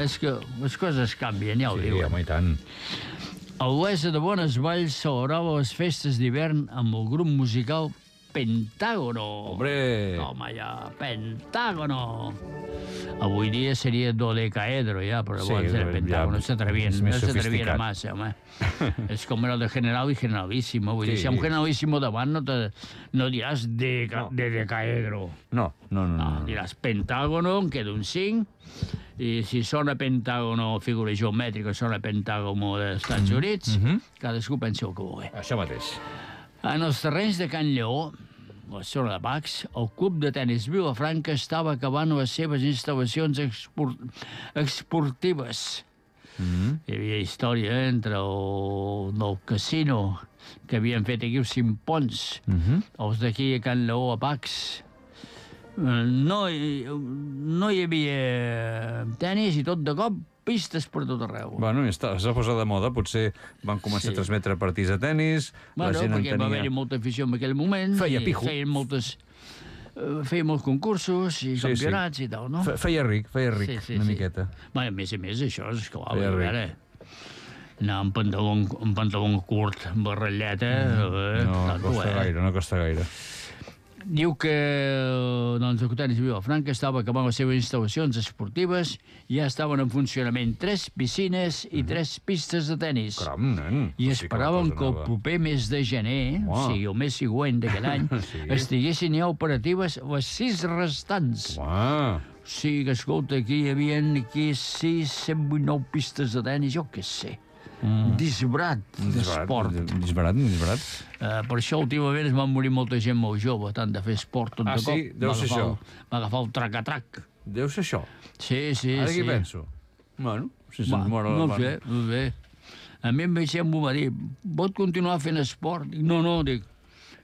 és que les coses canvien, ja ho Sí, diuen. home, i tant. A Olesa de Bonesvalls celebrava les festes d'hivern amb el grup musical Pentágono. Hombre. Home, ja, Pentágono. Avui dia seria dodecaedro, ja, però Sí, llavors era ja, Pentágono. No s'atrevien, és no més s'atrevien a sofisticat. massa, home. És com era el de general i generalíssimo. Vull dir, Sí. si hi ha un generalíssimo davant no, te, no diràs de, No. de decaedro. No, no, no. No, no. diràs Pentágono, em queda un cinc, i si sona Pentágono figura geomètrica, sona Pentágono dels Estats Units, Mhm. cadascú pensa el que vulgui. Això mateix. En els terrenys de Can Lleó, la zona de Pacs, el club de tennis Vilafranca estava acabant les seves instal·lacions export esportives. Mhm. Hi havia història entre el del casino que havien fet aquí els Simpons, Mhm. els d'aquí a Can Lleó, a Pacs. Eh, No, hi- no hi havia tenis i tot de cop pistes per tot arreu. Bueno, i està, s'ha posat de moda. Potser van començar Sí. a transmetre partits de tennis, Bueno, la gent en perquè va haver-hi tenia... molta afició en aquell moment. Feia i pijo. Feien moltes... eh, feia molts concursos i Sí, campionats i tal, no? Fe- Feia ric, feia ric, Sí, sí, una sí. miqueta. Bé, a més a més, això és clar, Feia a ric. veure... Anar amb pantaló, amb pantaló curt, amb barrelleta... eh, No tanto, costa eh? gaire, no costa gaire. Diu que doncs, el Cotenis de Vilafranca estava acabant les seves instal·lacions esportives i ja estaven en funcionament tres piscines i tres pistes de tenis. Caram, nen. I Sí que la esperaven cosa que el anava. proper mes de gener, Uau. o sigui, el mes següent d'aquell any, Sí. estiguessin ja operatives les sis restants. Uah. O sigui que, escolta, aquí hi havia aquí sis, cent vuitanta-nou pistes de tenis, jo què sé. Mm. Disbarat d'esport. Disbarat, disbarat. Uh, per això últimament es van morir molta gent molt jove, tant de fer esport tot Ah, de cop. sí? Deu Va ser agafar això. el- Va agafar el trac-a-trac. Deu ser això. Sí, sí, Ara sí. què penso? Bueno, si Va, se'ns mor no la sé, no sé. A mi em vaig ser m'ho va dir, pot continuar fent esport? Dic, no, no, dic,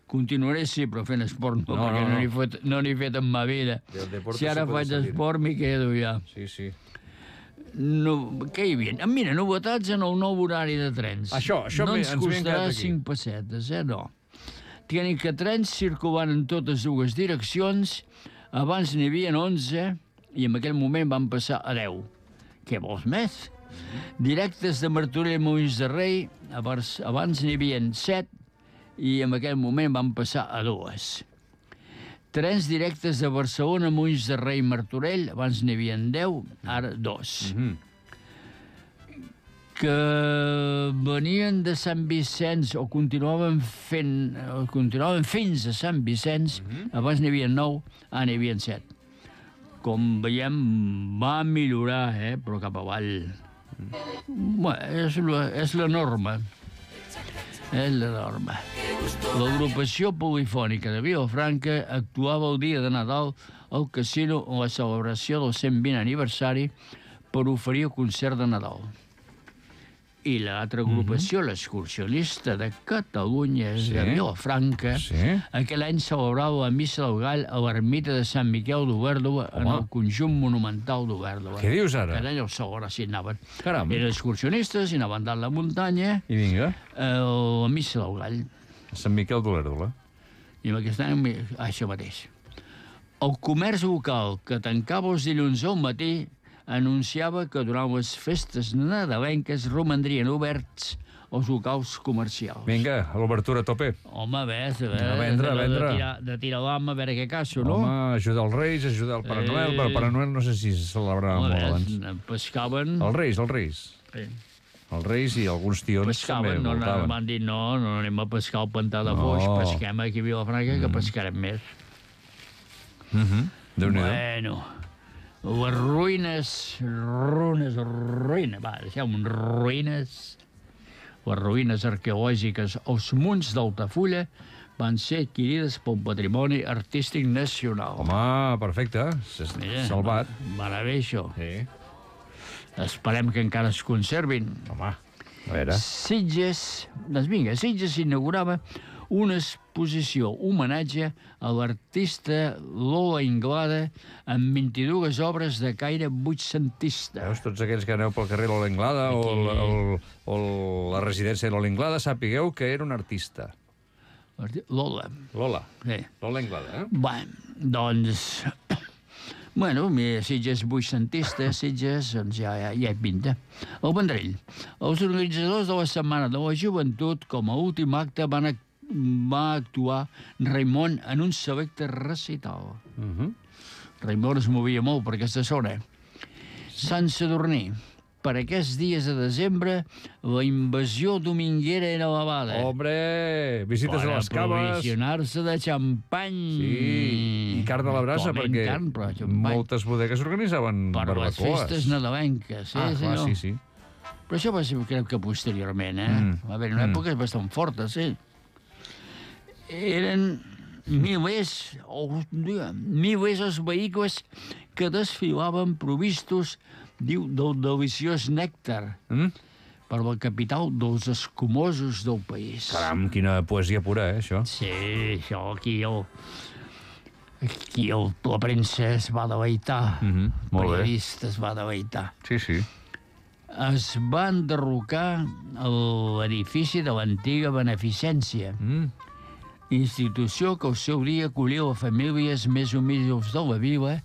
continuaré sí, però fent esport no, No, perquè no, no no. n'he fet, no n'he fet en ma vida. Del deporte Si ara se puede faig salir. esport, m'hi quedo ja. Sí, sí. No, què hi havia? Ah, mira, novetats en el nou horari de trens. Això, això no m'he- ens ens havien costarà quedat aquí. cinc pessetes, eh? No. Tenen que trens circulant en totes dues direccions. Abans n'hi havia onze i en aquell moment van passar a deu. Què vols més? Directes de Martorell a Molins de Rei, abans, abans n'hi havia set i en aquell moment van passar a dues. Trens directes de Barcelona a Molins de Rei i Martorell, abans n'hi havia deu, ara dos. Mhm. Que venien de Sant Vicenç o continuaven fent, o continuaven fins a Sant Vicenç, abans n'hi havia nou, ara n'hi havia set. Com veiem, va millorar, eh? Però cap avall. Bé, és la, és la norma. És la norma. L'agrupació polifònica de Vilafranca actuava el dia de Nadal al casino en la celebració del cent vint aniversari per oferir el concert de Nadal. I l'altra agrupació, l'excursionista de Catalunya, Sí. de Vilafranca, Sí. aquell any celebrava la Missa del Gall a l'ermita de Sant Miquel d'Overdova en Home. el conjunt monumental d'Overdova. Què dius ara? Cada any el celebra, si anaven. Caram. Eren excursionistes i anaven dalt la muntanya I vinga, a la Missa del Gall. a Sant Miquel d'Olèrdola. I amb aquest any, això mateix. El comerç local, que tancava els dilluns al matí, anunciava que durant les festes nadalenques romandrien oberts els locals comercials. Vinga, a l'obertura a tope. Home, a veure, A vendre, a de, vendre. de, tirar, de tirar l'ama, a veure què caso, no? Home, ajudar els Reis, ajudar el Pare Noel, però el Pare Noel no sé si se celebrava Home, molt a abans. veure, pescaven... Els Reis, els Reis. Sí. Els Reis i alguns tions també Pescaven, no, no, voltaven. van dir no, no anem a pescar al pantà de No. Foix, pesquem aquí a Vilafranca, que pescarem més. Mhm. Déu-n'hi-do. Bueno, les ruïnes, ruïnes, ruïnes, va, deixem ruïnes, les ruïnes arqueològiques als munts d'Altafulla van ser adquirides pel Patrimoni Artístic Nacional. Home, perfecte. S'ha Mira, salvat. Va anar bé, això. Sí. Esperem que encara es conservin. Home, a veure. Sitges, doncs vinga, Sitges s'inaugurava una exposició homenatge a l'artista Lola Inglada amb vint-i-dues obres de caire vuitcentista. Veus, tots aquells que aneu pel carrer Lola Inglada o, el, el, o la residència de Lola Inglada, sapigueu que era un artista. Lola, Lola. sí. Lola Inglada, eh? Bé, doncs... Bueno, mira, Sitges vuitcentista, Sitges, doncs ja, ja, ja hi pinta. El Vendrell. Els organitzadors de la Setmana de la Joventut, com a últim acte, van, ac va actuar Raimon en un selecte recital. Uh -huh. Raimon es movia molt per aquesta zona. Sant Sadurní. Per aquests dies de desembre, la invasió dominguera era elevada. Hombre, visites per a les caves. aprovisionar-se de xampany. Sí, i carn a la brasa, Actualment perquè carn, però xampany. moltes bodegues organitzaven Per les barbacoes. festes nadalenques, sí, Ah, clar, senyor. sí, sí. Però això va ser, crec que posteriorment, eh? Mm. A veure, en una Mm. època bastant forta, sí. Eren milers, oh, dia, milers els vehicles que desfilaven provistos, diu, del deliciós nèctar Mm? per la capital dels escumosos del país. Caram, quina poesia pura, eh, això. Sí, això aquí el... Aquí el, la premsa es va deleitar. Mhm, El molt bé. periodista es va deleitar. Sí, sí. Es va enderrocar l'edifici de l'antiga Beneficència, Mm. institució que al seu dia acollia les famílies més humils de la vila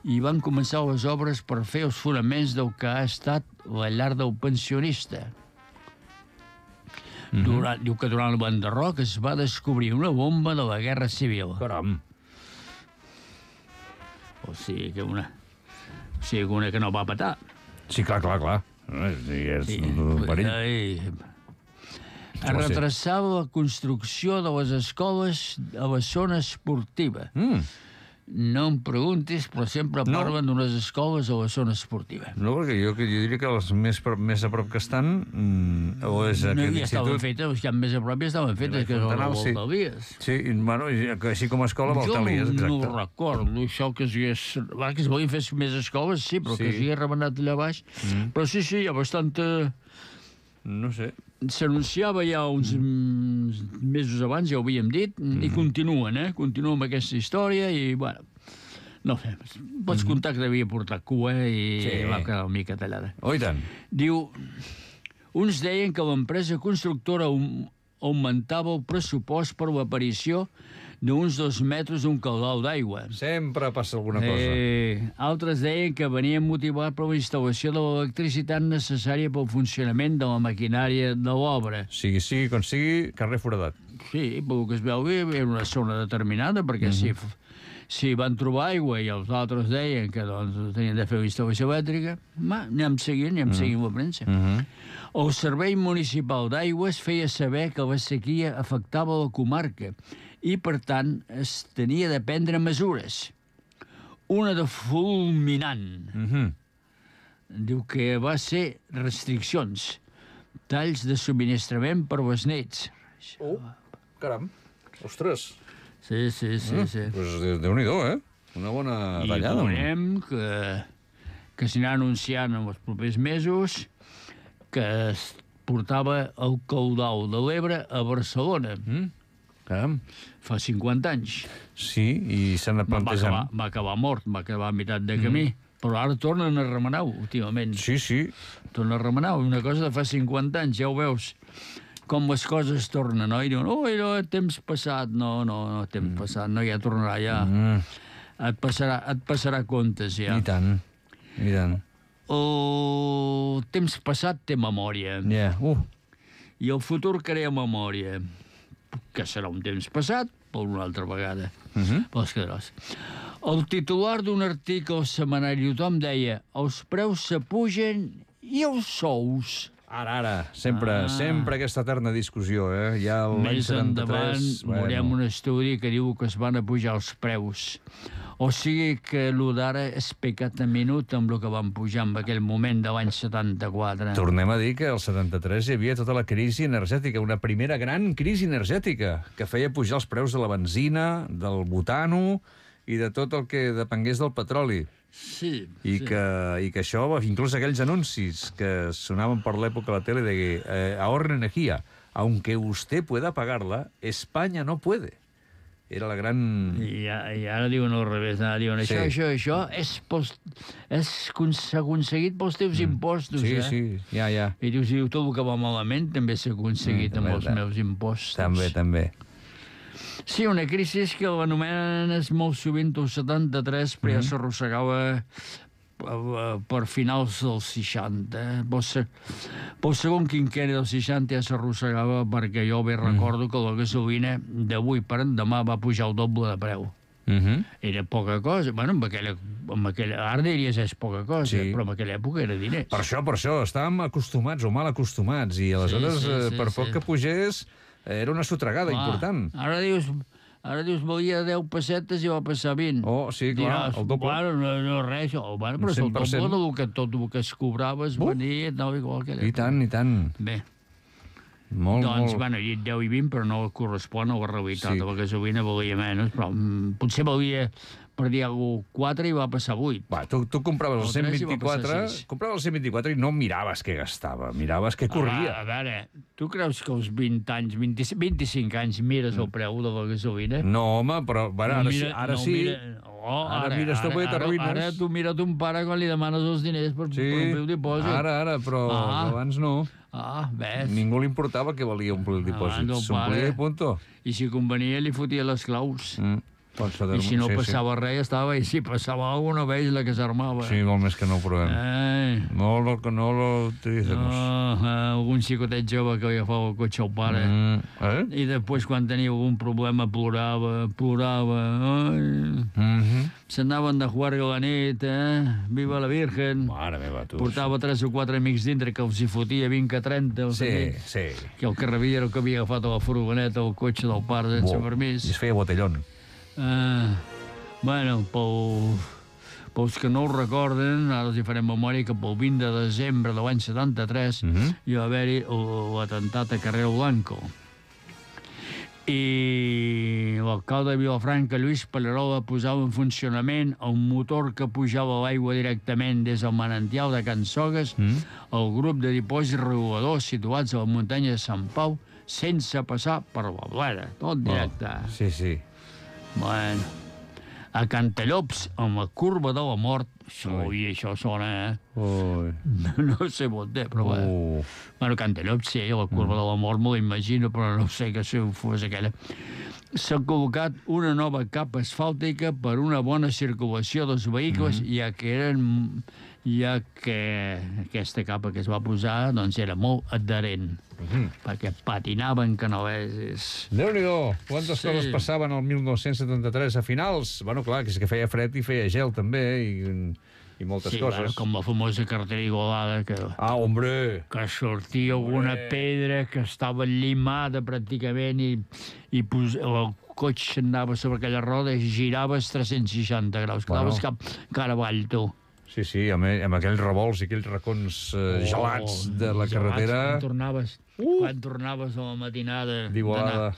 i van començar les obres per fer els fonaments del que ha estat la llar del pensionista. Mm-hmm. Durant, diu que durant el Banderroc es va descobrir una bomba de la Guerra Civil. Caram. O sigui que una... O sigui que una que no va petar. Sí, clar, clar, clar. Sí, és Sí, un perill. I... Es va ser? retrasava la construcció de les escoles a la zona esportiva. Mm. No em preguntis, però sempre No. parlen d'unes escoles a la zona esportiva. No, perquè jo, jo diria que els més, pro- més a prop que estan mm, o és No, aquest ja estaven institut... fetes, els que més a prop ja estaven fetes, que és la Fontanals, sí. Volta Elies. Sí, i, bueno, i així com a escola, Jo Valtalies, no exacte. recordo això que es hagués... Va, que es volien fer més escoles, sí, però Sí. que s'hi remenat allà baix. Mm. Però sí, sí, hi ha bastanta... No sé. S'anunciava ja uns mm. mesos abans, ja ho havíem dit, mm. i continuen, eh? Continuen amb aquesta història i, bueno, no sé, pots mm. comptar que devia portar cua i Sí. va quedar una mica tallada. Oh, i tant. Diu, uns deien que l'empresa constructora aug- augmentava el pressupost per l'aparició d'uns dos metres d'un caudal d'aigua. Sempre passa alguna cosa. Eh, altres deien que venien motivat per la instal·lació de l'electricitat necessària pel funcionament de la maquinària de l'obra. Sigui, sigui com sigui, carrer foradat. Sí, pel que es veu bé, era una zona determinada, perquè mm -hmm. si, si van trobar aigua i els altres deien que doncs, tenien de fer una instal·lació elèctrica, ma, anem seguint, anem mm -hmm. seguint la premsa. Mm -hmm. El Servei Municipal d'Aigües feia saber que la sequia afectava la comarca i, per tant, es tenia de prendre mesures. Una de fulminant. Mm -hmm. Diu que va ser restriccions, talls de subministrament per les nits. Oh, caram. Ostres. Sí, sí, sí, sí. Pues de- Déu-n'hi-do, eh? Una bona I tallada. veurem que, que s'anirà anunciant en els propers mesos que es portava el caudal de l'Ebre a Barcelona. Mm? Caram. Fa cinquanta anys. Sí, i s'han anat Va, va, plantejant. acabar, va acabar mort, va acabar a meitat de camí. Mm. Però ara tornen a remenar-ho, últimament. Sí, sí. Tornen a remenar-ho. Una cosa de fa cinquanta anys, ja ho veus. Com les coses tornen, no? I diuen, ui, no, temps passat. No, no, no, temps mm. passat. No, ja tornarà, ja. Mm. Et passarà, et passarà comptes, ja. I tant. I tant. El temps passat té memòria. Ja. Yeah. Uh. I el futur crea memòria. Que serà un temps passat, per una altra vegada. Uh -huh. Pels quedràs. El titular d'un article al setmanari Tothom deia els preus s'apugen i els sous. Ara, ara. Sempre, Ah. sempre aquesta eterna discussió, eh? Ja l'any Més endavant setanta-tres... veurem un estudi que diu que es van apujar els preus. O sigui que el d'ara és pecat a minut amb el que van pujar en aquell moment de l'any setanta-quatre. Tornem a dir que al setanta-tres hi havia tota la crisi energètica, una primera gran crisi energètica, que feia pujar els preus de la benzina, del butano i de tot el que depengués del petroli. Sí, I, sí. que, I que això, inclús aquells anuncis que sonaven per l'època a la tele de eh, ahorre energía, aunque usted pueda pagarla, España no puede. Era la gran... I, a- I ara diuen al revés, ara diuen això, Sí. això, això és, pels, és con- s'ha aconseguit pels teus impostos, Sí, eh? sí, ja, ja. I dius, diu, tot el que va malament també s'ha aconseguit Mm, amb també, els també. meus impostos. També, també. Sí, una crisi que l'anomenen és molt sovint el setanta-tres, però ja s'arrossegava eh, per finals dels seixanta. Pel, se, pel segon quinquenni dels seixanta ja s'arrossegava perquè jo bé recordo que la gasolina d'avui per endemà va pujar el doble de preu. Uh -huh. Era poca cosa. Bueno, en aquella, en aquella, ara diries és poca cosa, Sí. però en aquella època era diners. Per això, per això, estàvem acostumats o mal acostumats, i aleshores, Sí, sí, eh, sí, per sí. poc que pugés, eh, era una sotragada Clar, important. Ara dius, ara dius, valia deu pessetes i va passar vint. Oh, sí, clar, el doble. Bueno, no, no res, oh, bueno, però és el cent per cent. doble del que tot el que es cobrava es Uh. venia, no, igual que... I tant, i tant. Bé, Molt, doncs, molt... bueno, he dit deu i vint, però no correspon a la realitat. Sí. Sí. La gasolina valia menys, però mm, potser valia, per dir alguna cosa, quatre i va passar vuit. Va, tu, tu compraves el El tres i va cent vint-i-quatre, passar sis. compraves el cent vint-i-quatre i no miraves què gastava, miraves què corria. Ah, a veure, tu creus que als vint anys, vint, vint-i-cinc anys, mires el preu de la gasolina? No, home, però bueno, ara, sí, ara no sí. Mira, oh, Ara mires tu, perquè ara, t'arruïnes. ara tu mira ton pare quan li demanes els diners per, Sí, per omplir el dipòsit. ara, ara, però Ah. abans no. Ah, ves. Ningú li importava que valia omplir el dipòsit. Abans el S'omplia pare- i punto. I si convenia li fotia les claus. Mm. I si no passava res, estava... I si passava alguna vegada, la que s'armava. Sí, molt més que no ho provem. Eh... No lo, no lo utilicemos. No, eh, algun xicotet jove que agafava el cotxe al pare. Mm, eh? I després, quan tenia algun problema, plorava, plorava. Ai... Mm-hmm. S'anaven de jugar a la nit, eh? Viva la Virgen. Mare meva, tu. Portava tres o quatre amics dintre que els hi fotia vint a trenta. Sí, sí. Que el que rebia era el que havia agafat a la furgoneta o el cotxe del pare sense permís. I es feia botellón. Uh, bueno, pel, pels que no ho recorden, ara els hi farem memòria que pel vint de desembre de l'any setanta-tres Mm-hmm. hi va haver-hi l'atemptat a Carrero Blanco. I l'alcalde de Vilafranca, Lluís Pallerola, posava en funcionament un motor que pujava l'aigua directament des del manantial de Can Sogues Mm. al grup de dipòsits reguladors situats a la muntanya de Sant Pau, sense passar per la Bleda, tot directe. Oh, sí, sí. Bueno, a Cantallops, amb la curva de la mort, això, i això sona, eh? Ui. No sé on té, però bé. Uh. Bueno, Cantallops, sí, la curva mm. de la mort me l'imagino, però no sé que si fos aquella. S'ha col·locat una nova capa asfàltica per una bona circulació dels vehicles, mm. ja que eren ja que aquesta capa que es va posar doncs era molt adherent, Mm-hmm. perquè patinaven que no és... Déu-n'hi-do, quantes Sí. coses passaven el mil nou-cents setanta-tres a finals. Bueno, clar, que és que feia fred i feia gel, també, i, i moltes Sí, coses. bueno, com la famosa carretera Igualada, que, Ah, hombre! que sortia alguna Hombre. pedra que estava llimada pràcticament i, i pos, el cotxe anava sobre aquella roda i giraves tres-cents seixanta graus. Bueno. Quedaves cap cara avall, tu. Sí, sí, amb, amb aquells revolts i aquells racons eh, gelats de la gelats, carretera. Quan tornaves, Uh! quan tornaves a la matinada D'Igualada.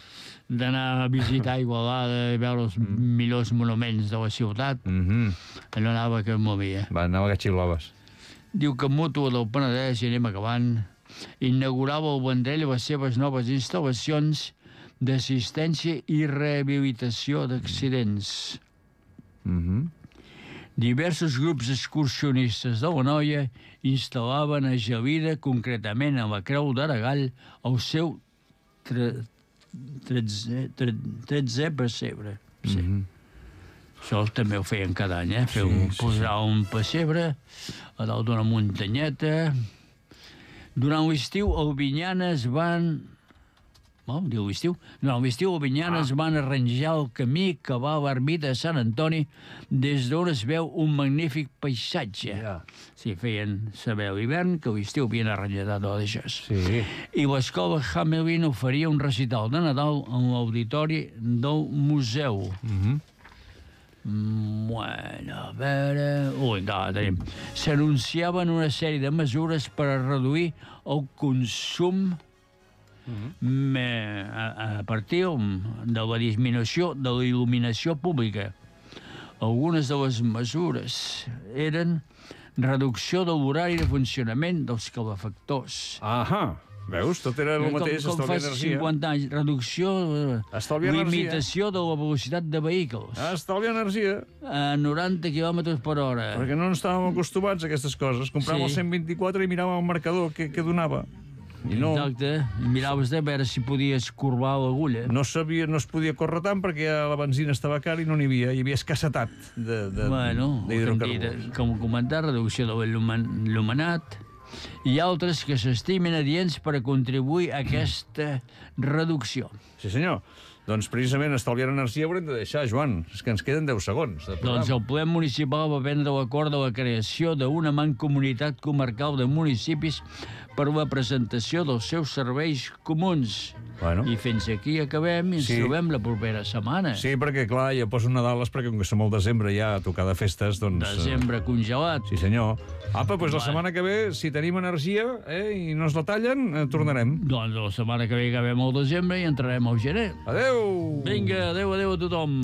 d'anar- d'anar a visitar Igualada i veure els millors monuments de la ciutat, Mm-hmm. allò anava que em movia. Va, anava que xiulaves. Diu que Mútua del Penedès, i anem acabant, inaugurava el Vendrell les seves noves instal·lacions d'assistència i rehabilitació d'accidents. Mm-hmm. Diversos grups excursionistes de la Noia instal·laven a Gelida, concretament a la Creu d'Aragall, el seu tre, tretzè, tre, tretzè pessebre. Sí. Mm-hmm. Això també ho feien cada any, eh? Fer Sí, un, sí, posar un pessebre a dalt d'una muntanyeta. Durant l'estiu, a Albinyana es van... Oh, diu l'estiu? Durant l'estiu, a Albinyana ah. es van arranjar el camí que va a l'ermita de Sant Antoni, des d'on es veu un magnífic paisatge. Ja. Sí, feien saber a l'hivern que a l'estiu havien arranjat tot això. Sí. I l'escola Hamelin oferia un recital de Nadal en l'auditori del museu. Mm-hmm. Bueno, a veure... Ui, encara tenim. S'anunciaven una sèrie de mesures per a reduir el consum mm-hmm. a, a partir de la disminució de la il·luminació pública. Algunes de les mesures eren reducció de l'horari de funcionament dels calefactors. Ahà. Veus? Tot era el mateix, com, com estalviar fa energia. cinquanta anys, reducció, Estalviar energia. limitació de la velocitat de vehicles Estalviar energia. a noranta quilòmetres per hora. Perquè no estàvem acostumats a aquestes coses. Compràvem Sí. el cent vint-i-quatre i miràvem el marcador que, que donava. I no, Exacte, i miraves de veure si podies corbar l'agulla. no, sabia, no es podia córrer tant perquè ja la benzina estava cara i no n'hi havia. Hi havia escassetat de, de, Bueno, d'hidrocarburs. com comentar, reducció de l'il·luminat i altres que s'estimen adients per a contribuir a aquesta reducció. Sí, senyor. Doncs precisament estalviar energia haurem de deixar, Joan. És que ens queden deu segons de programa. Doncs el ple municipal va prendre l'acord de la creació d'una mancomunitat comarcal de municipis per la presentació dels seus serveis comuns. Bueno. I fins aquí acabem i ens Sí. trobem la propera setmana. Sí, perquè, clar, ja poso Nadales perquè com que som al desembre ja a tocar de festes, doncs... eh, Desembre congelat. Sí, senyor. Apa, doncs la Va. setmana que ve, si tenim energia eh, i no ens la tallen, eh, tornarem. Doncs la setmana que ve acabem el desembre i entrarem al gener. Adeu! Vinga, adeu, adeu a tothom.